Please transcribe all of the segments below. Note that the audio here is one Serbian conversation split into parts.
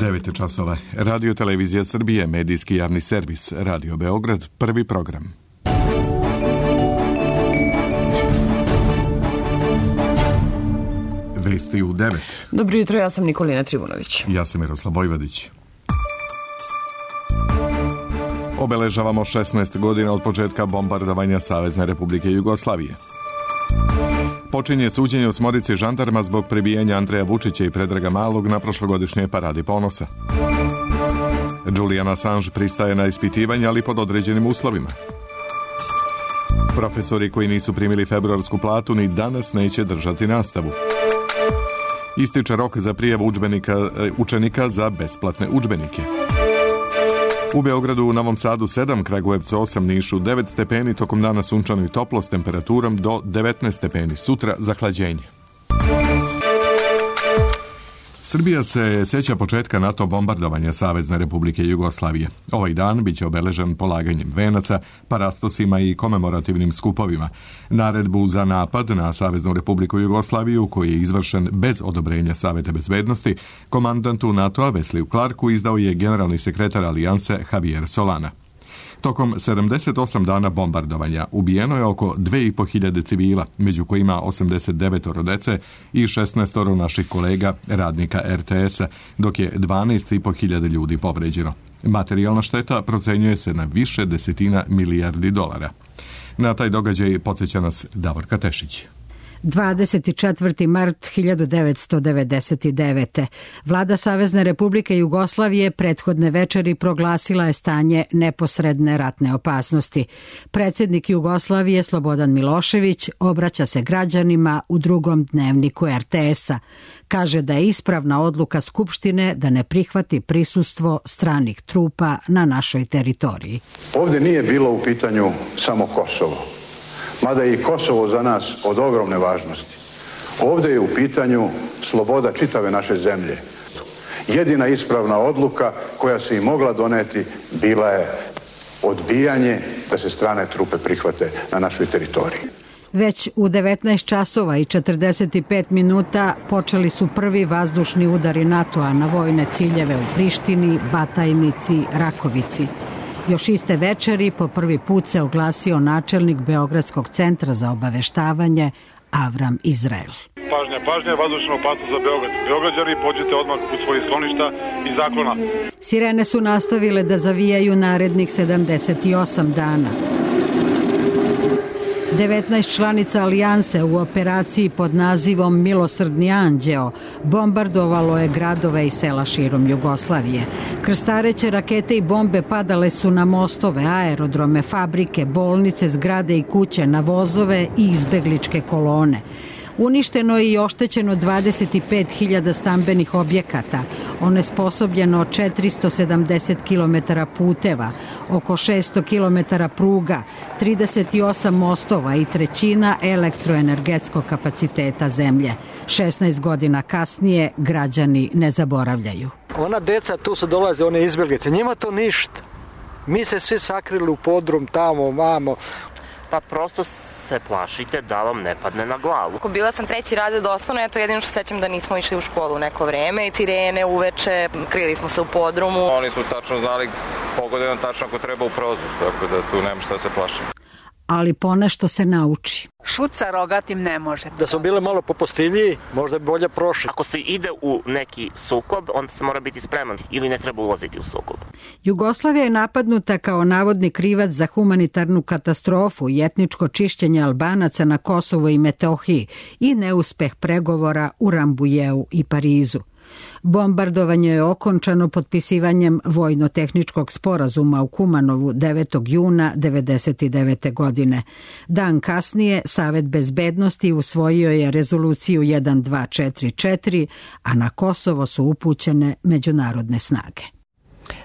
9 časova. Radio Televizija Srbije, medijski javni servis, Radio Beograd, prvi program. Vesti u 9. Dobro jutro, ja sam Nikolina Trivunović. Ja sam Miroslav Vojvodić. Obeležavamo 16 godina od početka bombardovanja Savezne Republike Jugoslavije. Počinje suđenje osmorici žandarma zbog prebijanja Andreja Vučića i Predraga Malog na prošlogodišnjoj paradi ponosa. Julian Assange pristaje na ispitivanje, ali pod određenim uslovima. Profesori koji nisu primili februarsku platu ni danas neće držati nastavu. Ističe rok za prijavu učenika za besplatne udžbenike. U Beogradu, u Novom Sadu 7, Kragujevcu 8, Nišu 9 stepeni, tokom dana sunčano i toplo s temperaturom do 19 stepeni, sutra zahlađenje. Srbija se sjeća početka NATO bombardovanja Savezne Republike Jugoslavije. Ovaj dan biće obeležen polaganjem venaca, parastosima i komemorativnim skupovima. Naredbu za napad na Saveznu Republiku Jugoslaviju, koji je izvršen bez odobrenja Saveta bezbednosti, komandantu NATO-a Wesley Clarku izdao je generalni sekretar Alijanse Javier Solana. Tokom 78 dana bombardovanja ubijeno je oko 2500 civila, među kojima 89 dece i 16 naših kolega, radnika RTS-a, dok je 12.500 ljudi povređeno. Materijalna šteta procenjuje se na više desetina milijardi dolara. Na taj događaj podsjeća nas Davorka Tešić. 24. mart 1999. Vlada Savezne Republike Jugoslavije prethodne večeri proglasila je stanje neposredne ratne opasnosti. Predsjednik Jugoslavije Slobodan Milošević obraća se građanima u drugom dnevniku RTS-a. Kaže da je ispravna odluka Skupštine da ne prihvati prisustvo stranih trupa na našoj teritoriji. Ovdje nije bilo u pitanju samo Kosovo. Mada je i Kosovo za nas od ogromne važnosti. Ovdje je u pitanju sloboda čitave naše zemlje. Jedina ispravna odluka koja se i mogla doneti bila je odbijanje da se strane trupe prihvate na našoj teritoriji. Već u 19 časova i 45 minuta počeli su prvi vazdušni udari NATO-a na vojne ciljeve u Prištini, Batajnici, Rakovici. Još iste večeri po prvi put se oglasio načelnik Beogradskog centra za obaveštavanje Avram Izrael. Pažnja, vazdušna opasnost za Beograd. Beograđani, pođite odmah u svoje skloništa i zaklona. Sirene su nastavile da zavijaju narednih 78 dana. 19 članica Alijanse u operaciji pod nazivom Milosrdni anđeo bombardovalo je gradove i sela širom Jugoslavije. Krstareće rakete i bombe padale su na mostove, aerodrome, fabrike, bolnice, zgrade i kuće, na vozove i izbegličke kolone. Uništeno je i oštećeno 25.000 stambenih objekata, onesposobljeno 470 km puteva, oko 600 km pruga, 38 mostova i trećina elektroenergetskog kapaciteta zemlje. 16 godina kasnije građani ne zaboravljaju. Ona deca tu su dolaze, one izbjeglice, njima to ništa. Mi se svi sakrili u podrum tamo, vamo. Pa prosto se plašite da vam ne padne na glavu. Bila sam 3. razred osnovne, eto jedino što sećam da nismo išli u školu neko vreme. Sirene uveče, krili smo se u podrumu. Oni su tačno znali, pogodio tačno ako treba u prozor, tako da tu nema šta se plašiti. Ali ponešto se nauči. Šut sa rogatim ne može. Da smo bile malo popustiviji, možda bi bolje prošli. Ako se ide u neki sukob, onda se mora biti spreman ili ne treba ulaziti u sukob. Jugoslavija je napadnuta kao navodni krivac za humanitarnu katastrofu i etničko čišćenje Albanaca na Kosovu i Metohiji i neuspeh pregovora u Rambujeu i Parizu. Bombardovanje je okončano potpisivanjem vojno-tehničkog sporazuma u Kumanovu 9. juna 1999. godine. Dan kasnije Savet bezbednosti usvojio je rezoluciju 1244, a na Kosovo su upućene međunarodne snage.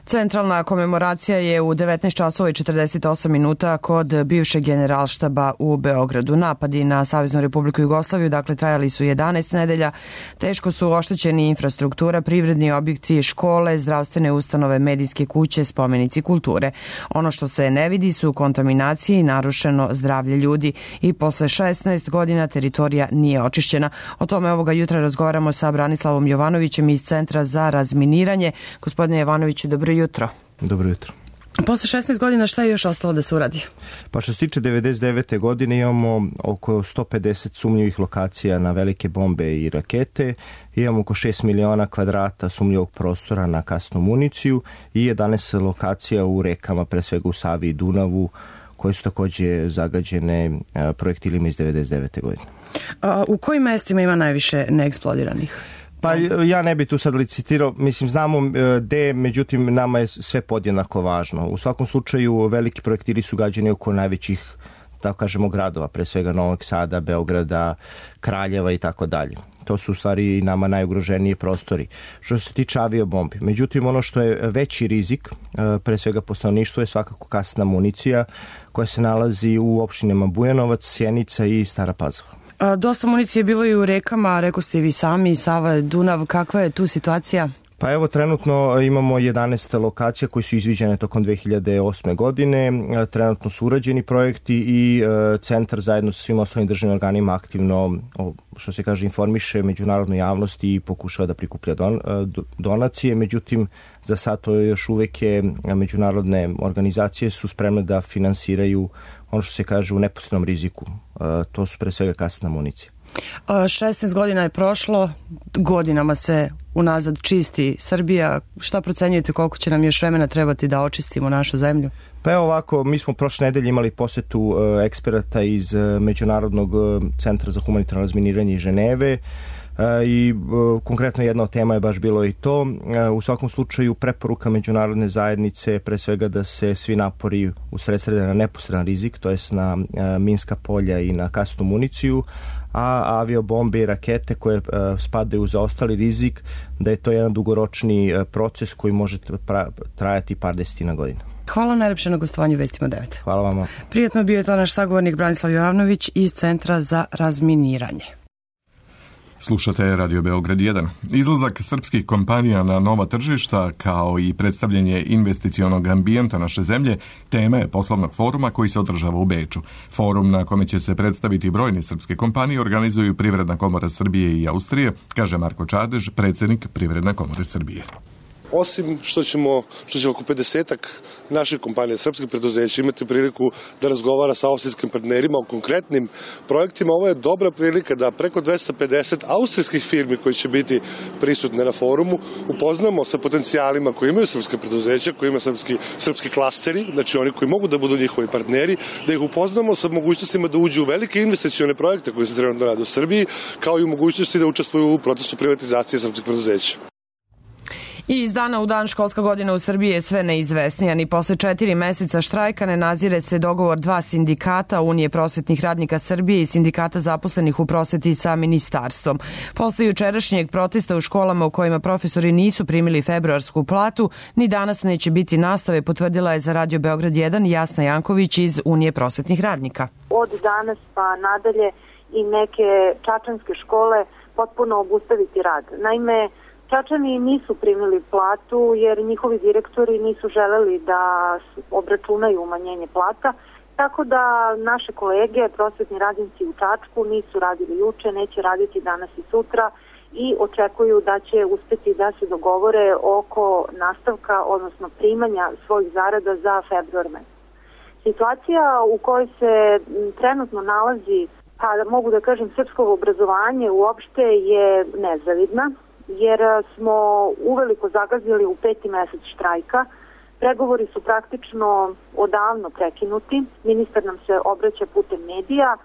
Centralna komemoracija je u 19 časova i 48 minuta kod bivšeg generalštaba u Beogradu. Napadi na Saveznu Republiku Jugoslaviju, dakle, trajali su 11 nedelja. Teško su oštećeni infrastruktura, privredni objekti, škole, zdravstvene ustanove, medijske kuće, spomenici kulture. Ono što se ne vidi su kontaminacije i narušeno zdravlje ljudi. I posle 16 godina teritorija nije očišćena. O tome ovoga jutra razgovaramo sa Branislavom Jovanovićem iz Centra za razminiranje. Gospodine Jovanoviću, dobro jutro. Dobro jutro. Posle 16 godina šta je još ostalo da se uradi? Pa što se tiče 99. godine imamo oko 150 sumnjivih lokacija na velike bombe i rakete, imamo oko 6 miliona kvadrata sumnjivog prostora na kasnu municiju i 11 lokacija u rekama, pre svega u Savi i Dunavu, koje su takođe zagađene projektilima iz 99. godine. U kojim mestima ima najviše neeksplodiranih? Pa ja ne bih tu sad licitirao, mislim znamo gde, međutim nama je sve podjednako važno. U svakom slučaju veliki projektili su gađani oko najvećih, tako kažemo, gradova, pre svega Novog Sada, Beograda, Kraljeva i tako dalje. To su u stvari nama najugroženiji prostori. Što se tiče aviobombi. Međutim, ono što je veći rizik, pre svega po stanovništvu, je svakako kasna municija koja se nalazi u opštinama Bujanovac, Sjenica i Stara Pazova. Dosta municije je bilo i u rekama, rekao ste i vi sami, Sava, Dunav, kakva je tu situacija? Pa evo, trenutno imamo 11 lokacija koji su izviđene tokom 2008. godine, trenutno su urađeni projekti i centar zajedno sa svim ostalim državnim organima aktivno, što se kaže, informiše međunarodnu javnost i pokušava da prikuplja donacije, međutim za sad to još uvek je međunarodne organizacije su spremne da finansiraju ono što se kaže u neposrednom riziku, to su pre svega kasna municija. 16 godina je prošlo, godinama se unazad čisti Srbija. Šta procenjujete koliko će nam još vremena trebati da očistimo našu zemlju? Pa evo ovako, mi smo prošle nedelje imali posetu eksperata iz Međunarodnog centra za humanitarno razminiranje iz Ženeve i konkretno jedna od tema je baš bilo i to. U svakom slučaju preporuka međunarodne zajednice pre svega da se svi napori usredsrede na neposredan rizik, to jest na minska polja i na kasnu municiju, a aviobombe i rakete koje spadaju za ostali rizik, da je to jedan dugoročni proces koji može trajati par desetina godina. Hvala najlepše na gostovanju Vestima 9. Hvala vama. Prijetno bio je to naš sagovornik Branislav Jovanović iz Centra za razminiranje. Slušate Radio Beograd 1. Izlazak srpskih kompanija na nova tržišta kao i predstavljanje investicionog ambijenta naše zemlje tema je poslovnog foruma koji se održava u Beču. Forum na kome će se predstaviti brojne srpske kompanije organizuju Privredna komora Srbije i Austrije, kaže Marko Čadež, predsjednik Privredne komore Srbije. Osim što će oko 50-ak naših kompanija, srpskih preduzeća, imati priliku da razgovara sa austrijskim partnerima o konkretnim projektima, ovo je dobra prilika da preko 250 austrijskih firmi koji će biti prisutne na forumu upoznamo sa potencijalima koji imaju srpske preduzeća, koji imaju srpski klasteri, znači oni koji mogu da budu njihovi partneri, da ih upoznamo sa mogućnostima da uđu u velike investicione projekte koji se trenutno rade u Srbiji, kao i u mogućnosti da učestvuju u procesu privatizacije srpskih preduzeća. I iz dana u dan školska godina u Srbiji je sve neizvesnija. Ni posle 4 meseca štrajka ne nazire se dogovor dva sindikata, Unije prosvetnih radnika Srbije i sindikata zaposlenih u prosveti sa ministarstvom. Posle jučerašnjeg protesta u školama u kojima profesori nisu primili februarsku platu, ni danas neće biti nastave, potvrdila je za Radio Beograd 1 Jasna Janković iz Unije prosvetnih radnika. Od danas pa nadalje i neke čačanske škole potpuno obustaviti rad. Naime, Čačani nisu primili platu jer njihovi direktori nisu želeli da obračunaju umanjenje plata, tako da naše kolege, prosvetni radnici u Čačku, nisu radili juče, neće raditi danas i sutra i očekuju da će uspeti da se dogovore oko nastavka, odnosno primanja svojih zarada za februar mesec. Situacija u kojoj se trenutno nalazi, pa mogu da kažem, srpsko obrazovanje uopšte je nezavidna, jer smo uveliko zagazili u 5. mesec štrajka. Pregovori su praktično odavno prekinuti. Ministar nam se obraća putem medija,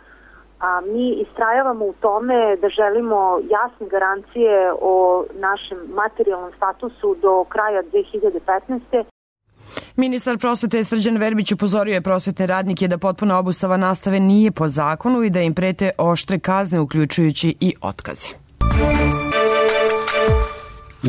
a mi istrajavamo u tome da želimo jasne garancije o našem materijalnom statusu do kraja 2015. Ministar prosvete Srđan Verbić upozorio je prosvetne radnike da potpuna obustava nastave nije po zakonu i da im prete oštre kazne, uključujući i otkaze.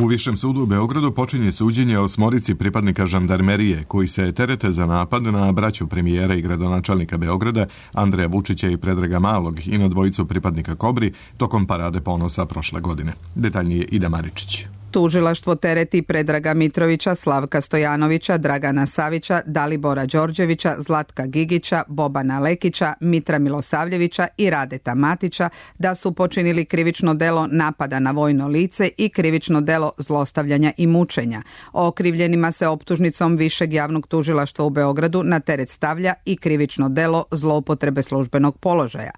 U Višem sudu u Beogradu počinje suđenje 8 pripadnika žandarmerije koji se terete za napad na braću premijera i gradonačelnika Beograda Andreja Vučića i Predraga Malog i na 2 pripadnika Kobri tokom Parade ponosa prošle godine. Detaljnije Ida Maričić. Tužilaštvo tereti Predraga Mitrovića, Slavka Stojanovića, Dragana Savića, Dalibora Đorđevića, Zlatka Gigića, Bobana Lekića, Mitra Milosavljevića i Radeta Matića da su počinili krivično delo napada na vojno lice i krivično delo zlostavljanja i mučenja. Okrivljenima se optužnicom Višeg javnog tužilaštva u Beogradu na teret stavlja i krivično delo zloupotrebe službenog položaja.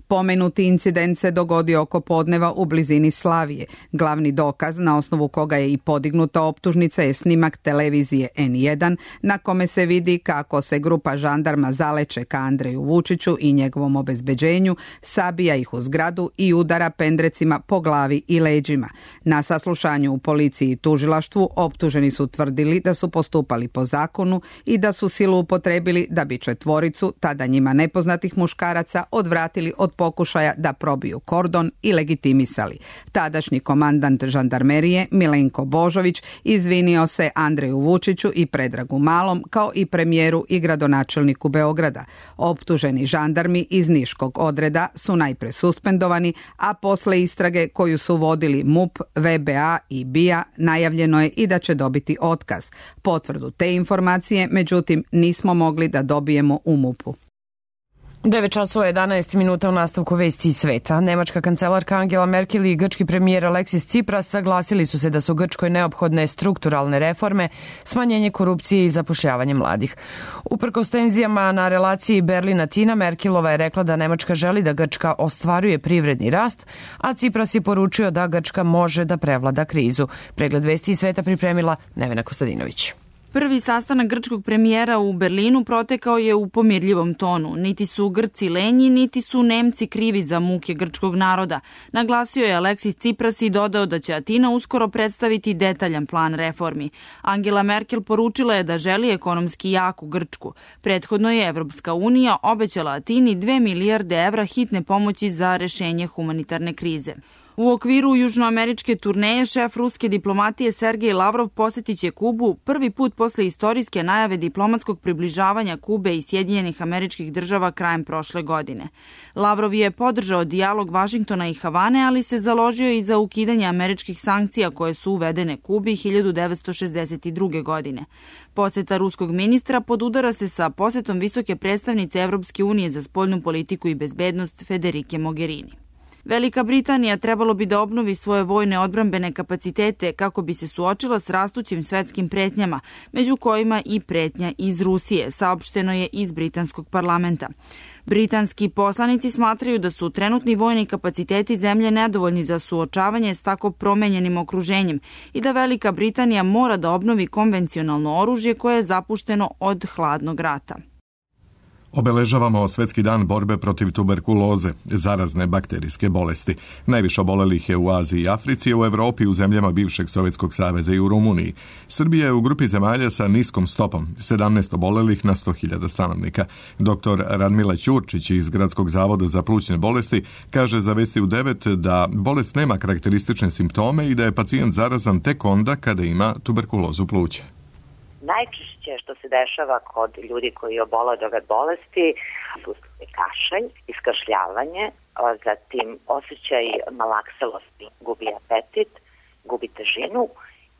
Pomenuti incident se dogodio oko podneva u blizini Slavije. Glavni dokaz na osnovu koga je i podignuta optužnica je snimak televizije N1 na kome se vidi kako se grupa žandarma zaleče ka Andreju Vučiću i njegovom obezbeđenju, sabija ih u zgradu i udara pendrecima po glavi i leđima. Na saslušanju u policiji i tužilaštvu optuženi su tvrdili da su postupali po zakonu i da su silu upotrebili da bi 4, tada njima nepoznatih muškaraca, odvratili od pokušaja da probiju kordon i legitimisali. Tadašnji komandant žandarmerije Milenko Božović izvinio se Andreju Vučiću i Predragu Malom kao i premijeru i gradonačelniku Beograda. Optuženi žandarmi iz Niškog odreda su najpre suspendovani, a posle istrage koju su vodili MUP, VBA i BIA najavljeno je i da će dobiti otkaz. Potvrdu te informacije, međutim, nismo mogli da dobijemo u MUP-u. 9:11 u nastavku vesti iz sveta. Nemačka kancelarka Angela Merkel i grčki premijer Aleksis Tsipras saglasili su se da su Grčkoj neophodne strukturalne reforme, smanjenje korupcije i zapošljavanje mladih. Uprkos tenzijama na relaciji Berlin-Atina, Merkelova je rekla da Nemačka želi da Grčka ostvaruje privredni rast, a Tsipras je poručio da Grčka može da prevlada krizu. Pregled vesti iz sveta pripremila Nevena Kostadinović. Prvi sastanak grčkog premijera u Berlinu protekao je u pomirljivom tonu. Niti su Grci lenji, niti su Nemci krivi za muke grčkog naroda. Naglasio je Aleksis Tsipras i dodao da će Atina uskoro predstaviti detaljan plan reformi. Angela Merkel poručila je da želi ekonomski jaku Grčku. Prethodno je Evropska unija obećala Atini 2 milijarde evra hitne pomoći za rešenje humanitarne krize. U okviru južnoameričke turneje šef ruske diplomatije Sergej Lavrov posjetiće Kubu prvi put posle istorijske najave diplomatskog približavanja Kube i Sjedinjenih Američkih Država krajem prošle godine. Lavrov je podržao dijalog Vašingtona i Havane, ali se založio i za ukidanje američkih sankcija koje su uvedene Kubi 1962. godine. Posjeta ruskog ministra podudara se sa posjetom visoke predstavnice Evropske unije za spoljnu politiku i bezbednost Federike Mogherini. Velika Britanija trebalo bi da obnovi svoje vojne odbrambene kapacitete kako bi se suočila s rastućim svetskim pretnjama, među kojima i pretnja iz Rusije, saopšteno je iz britanskog parlamenta. Britanski poslanici smatraju da su trenutni vojni kapaciteti zemlje nedovoljni za suočavanje s tako promenjenim okruženjem i da Velika Britanija mora da obnovi konvencionalno oružje koje je zapušteno od hladnog rata. Obeležavamo Svetski dan borbe protiv tuberkuloze, zarazne bakterijske bolesti. Najviše obolelih je u Aziji i Africi, u Evropi, u zemljama bivšeg Sovjetskog saveza i u Rumuniji. Srbija je u grupi zemalja sa niskom stopom, 17 obolelih na 100.000 stanovnika. Dr. Radmila Ćurčić iz Gradskog zavoda za plućne bolesti kaže za Vesti u 9 da bolest nema karakteristične simptome i da je pacijent zarazan tek onda kada ima tuberkulozu pluća. Najčešće što se dešava kod ljudi koji obole od ove bolesti su kašalj, iskašljavanje, zatim osjećaj malakselosti, gubi apetit, gubi težinu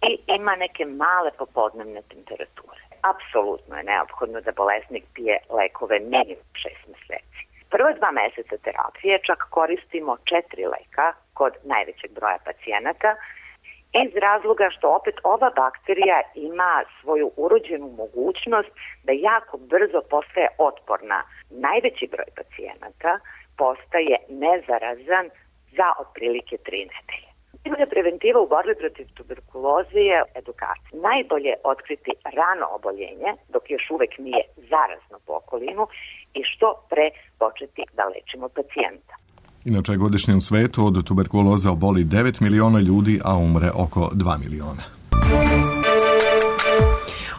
i ima neke male popodnevne temperature. Apsolutno je neophodno da bolesnik pije lekove minimum 6 meseci. Prve 2 meseca terapije čak koristimo 4 leka kod najvećeg broja pacijenata, iz razloga što opet ova bakterija ima svoju urođenu mogućnost da jako brzo postaje otporna. Najveći broj pacijenata postaje nezarazan za otprilike 3 nedelje. Najbolja preventiva u borbi protiv tuberkuloze je edukacija. Najbolje otkriti rano oboljenje dok još uvek nije zarazno po okolinu i što pre početi da lečimo pacijenta. Inače, godišnje u svetu od tuberkuloze oboli 9 miliona ljudi, a umre oko 2 miliona.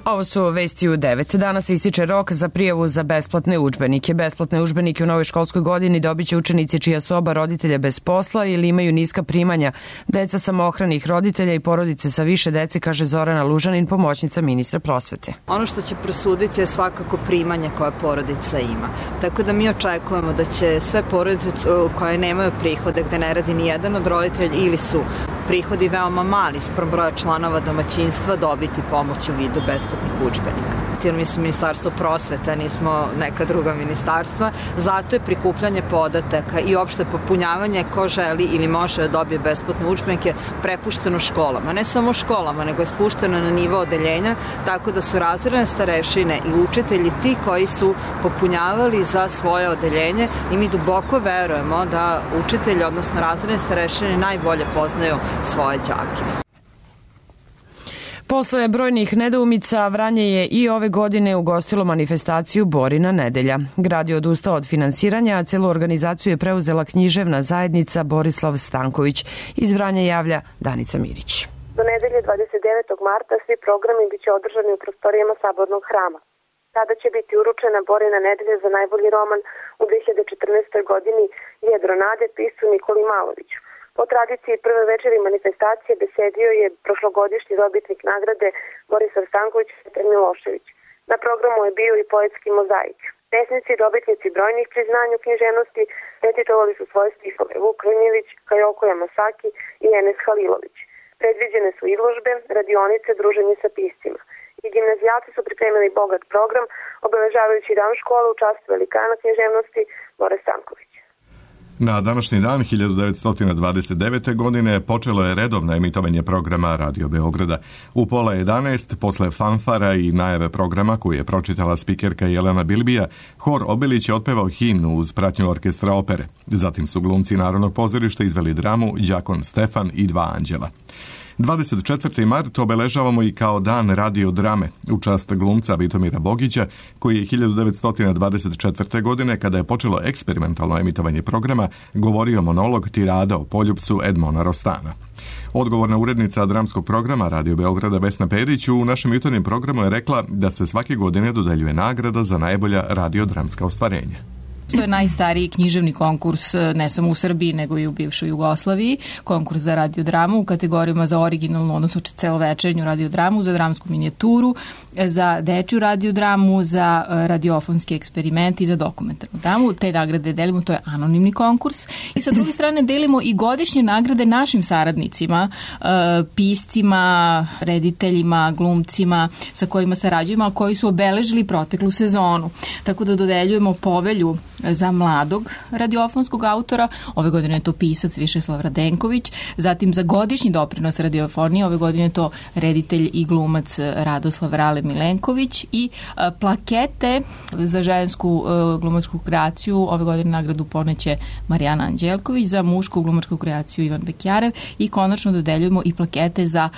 Ovo su vesti u 9. Danas se ističe rok za prijavu za besplatne udžbenike. Besplatne udžbenike u novoj školskoj godini dobit će učenici čija su oba roditelja bez posla ili imaju niska primanja, deca samohranih roditelja i porodice sa više dece, kaže Zorana Lužanin, pomoćnica ministra prosvete. Ono što će presuditi je svakako primanje koje porodica ima. Tako da mi očekujemo da će sve porodice koje nemaju prihode, gde ne radi ni jedan od roditelja ili su prihodi veoma mali spram broja članova domaćinstva, dobiti pomoć u vidu besplatnih udžbenika. Jer mi smo ministarstvo prosvete, nismo neka druga ministarstva, zato je prikupljanje podataka i opšte popunjavanje ko želi ili može da dobije besplatne udžbenike prepušteno školama. Ne samo školama, nego je spušteno na nivo odeljenja, tako da su razredne starešine i učitelji ti koji su popunjavali za svoje odeljenje i mi duboko verujemo da učitelji, odnosno razredne starešine, najbolje poznaju svoje đake. Posle brojnih nedoumica, Vranje je i ove godine ugostilo manifestaciju Borina nedelja. Grad je odustao od finansiranja, a celu organizaciju je preuzela književna zajednica Borislav Stanković. Iz Vranja javlja Danica Mirić. Do nedelje 29. marta svi programi biće održani u prostorijama Sabornog hrama. Tada će biti uručena Borina nedelja za najbolji roman u 2014. godini Jedro nade, piscu Nikoli Maloviću. Po tradiciji prve večeri manifestacije besedio je prošlogodišnji dobitnik nagrade Borislav Stanković i Petar Milošević. Na programu je bio i poetski mozaik. Pesnici i dobitnici brojnih priznanja u književnosti recitovali su svoje stihove Vuk Krnjević, Kajoko Yamasaki i Enes Halilović. Predviđene su izložbe, radionice, druženje sa piscima. I gimnazijalci su pripremili bogat program, obeležavajući dan škole u čast velikana književnosti Bore Stanković. Na današnji dan 1929. godine počelo je redovno emitovanje programa Radio Beograda. U 10:30, posle fanfara i najave programa koju je pročitala spikerka Jelena Bilbija, hor Obilić je otpevao himnu uz pratnju orkestra opere. Zatim su glumci Narodnog pozorišta izveli dramu Đakon Stefan i dva anđela. 24. mart obeležavamo i kao dan radiodrame u čast glumca Vitomira Bogića, koji je 1924. godine, kada je počelo eksperimentalno emitovanje programa, govorio monolog tirada o poljupcu Edmona Rostana. Odgovorna urednica dramskog programa Radio Beograda Vesna Perić u našem jutarnjem programu je rekla da se svake godine dodeljuje nagrada za najbolja radiodramska ostvarenja. To je najstariji književni konkurs ne samo u Srbiji nego i u bivšoj Jugoslaviji, konkurs za radiodramu u kategorijama za originalnu, odnosno celovečernju radiodramu, za dramsku minijaturu, za dečju radiodramu, za radiofonski eksperiment i za dokumentarnu dramu. Te nagrade delimo, to je anonimni konkurs. I sa druge strane delimo i godišnje nagrade našim saradnicima, piscima, rediteljima, glumcima sa kojima sarađujemo, a koji su obeležili proteklu sezonu. Tako da dodeljujemo povelju za mladog radiofonskog autora, ove godine je to pisac Višeslav Radenković, zatim za godišnji doprinos radiofonije, ove godine je to reditelj i glumac Radoslav Rale Milenković i plakete za žensku glumačku kreaciju, ove godine nagradu poneće Marijana Anđelković, za mušku glumačku kreaciju Ivan Bekjarev i konačno dodeljujemo i plakete za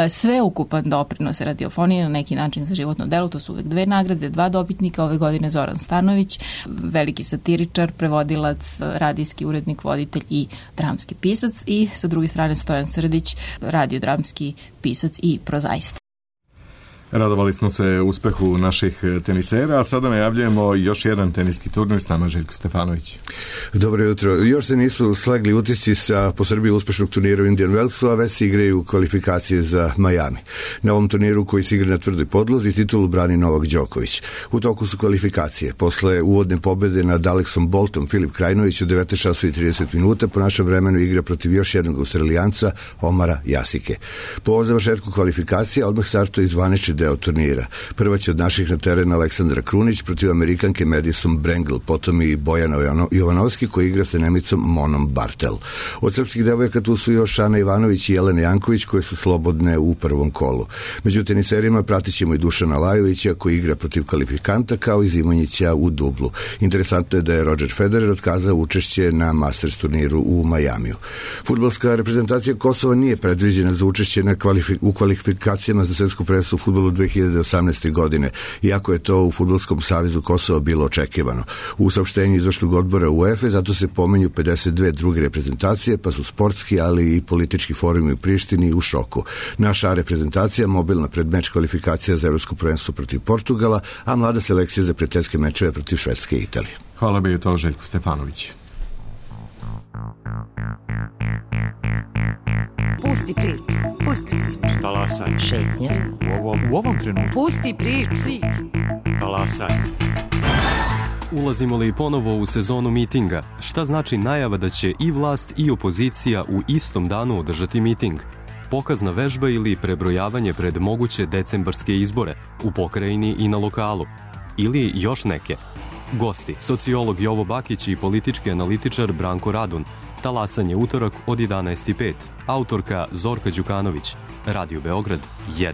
sveukupan doprinos radiofonije, na neki način za životno delo, to su uvek dve nagrade, dva dobitnika, ove godine Zoran Stanović, veliki satiričar, prevodilac, radijski urednik, voditelj i dramski pisac, i sa druge strane Stojan Srdić, radiodramski pisac i prozaista. Radovali smo se uspehu naših tenisera, a sada najavljujemo još jedan teniski turnir, s nama Željko Stefanović. Dobro jutro. Još se nisu slegli utisci sa po Srbiji uspešnog turnira u Indian Wellsu, a već se igraju kvalifikacije za Miami. Na ovom turniru koji se igra na tvrdoj podlozi titulu brani Novak Đoković. U toku su kvalifikacije. Posle uvodne pobede nad Alexom Boltom, Filip Krajinović u 19:30 po našem vremenu igra protiv još jednog Australijanca, Omara Jasike. Po završetku kvalifikacija odmah startuje zvanični deo turnira. Prva će od naših na teren Aleksandra Krunić protiv Amerikanke Madison Brangle, potom i Bojana Jovanovski koji igra sa Nemicom Monom Bartel. Od srpskih devojaka tu su još Ana Ivanović i Jelena Janković koje su slobodne u prvom kolu. Među teniserima pratit ćemo i Dušana Lajovića koji igra protiv kvalifikanta kao i Zimonjića u dublu. Interesantno je da je Roger Federer otkazao učešće na Masters turniru u Majamiju. Fudbalska reprezentacija Kosova nije predviđena za učešće u kvalifikacijama za svetsku prvenstvo u fudbalu 2018. godine, iako je to u Fudbalskom savezu Kosova bilo očekivano. U saopštenju izvršnog odbora UEFA zato se pomenju 52 druge reprezentacije, pa su sportski, ali i politički forumi u Prištini u šoku. Naša reprezentacija mobilna pred meč kvalifikacija za evropsko prvenstvo protiv Portugala, a mlada selekcija za prijateljske mečeve protiv Švedske i Italije. Hvala bi je to Željko Stefanović. Pusti priču. Pusti priču. Talasaj. Šetnja. U ovom trenutku. Pusti priču. Talasaj. Ulazimo li ponovo u sezonu mitinga? Šta znači najava da će i vlast i opozicija u istom danu održati miting? Pokazna vežba ili prebrojavanje pred moguće decembarske izbore u pokrajini i na lokalu? Ili još neke? Gosti, sociolog Jovo Bakić i politički analitičar Branko Radun. Talasanje utorak od 11:05. Autorka Zorka Đukanović. Radio Beograd 1.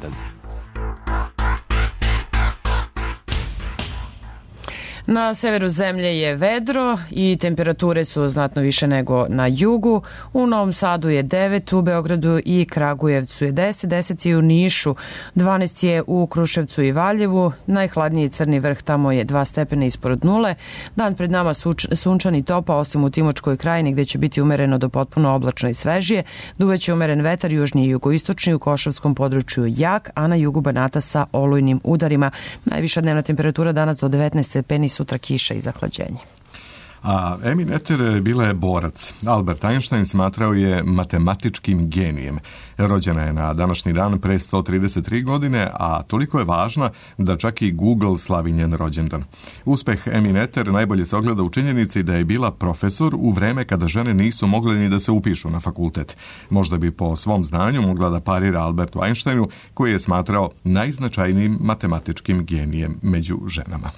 Na severu zemlje je vedro i temperature su znatno više nego na jugu. U Novom Sadu je 9, u Beogradu i Kragujevcu je 10, 10 je u Nišu, 12 je u Kruševcu i Valjevu, najhladniji Crni Vrh, tamo je 2 stepena ispod nule. Dan pred nama sunčan i topa, osim u Timočkoj krajini gde će biti umereno do potpuno oblačno i svežije. Duveće umeren vetar, južni i jugoistočni, u Košavskom području jak, a na jugu Banata sa olujnim udarima. Najviša dnevna temperatura danas do 19 stepeni, sutra kiša i zahlađenje. A Amy Noether bila je borac. Albert Einstein smatrao je matematičkim genijem. Rođena je na današnji dan pre 133 godine, a toliko je važna da čak i Google slavi njen rođendan. Uspeh Amy Noether najbolje se ogleda u činjenici da je bila profesor u vreme kada žene nisu mogle ni da se upišu na fakultet. Možda bi po svom znanju mogla da parira Albertu Einsteinu, koji je smatrao najznačajnijim matematičkim genijem među ženama.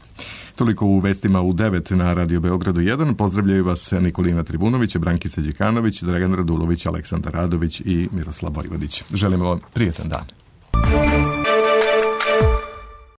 Toliko u vestima u 9 na Radio Beogradu 1. Pozdravljaju vas Nikolina Tribunović, Brankica Đikanović, Dragan Radulović, Aleksandar Radović i Miroslav Vojvodić. Želimo vam prijetan dan.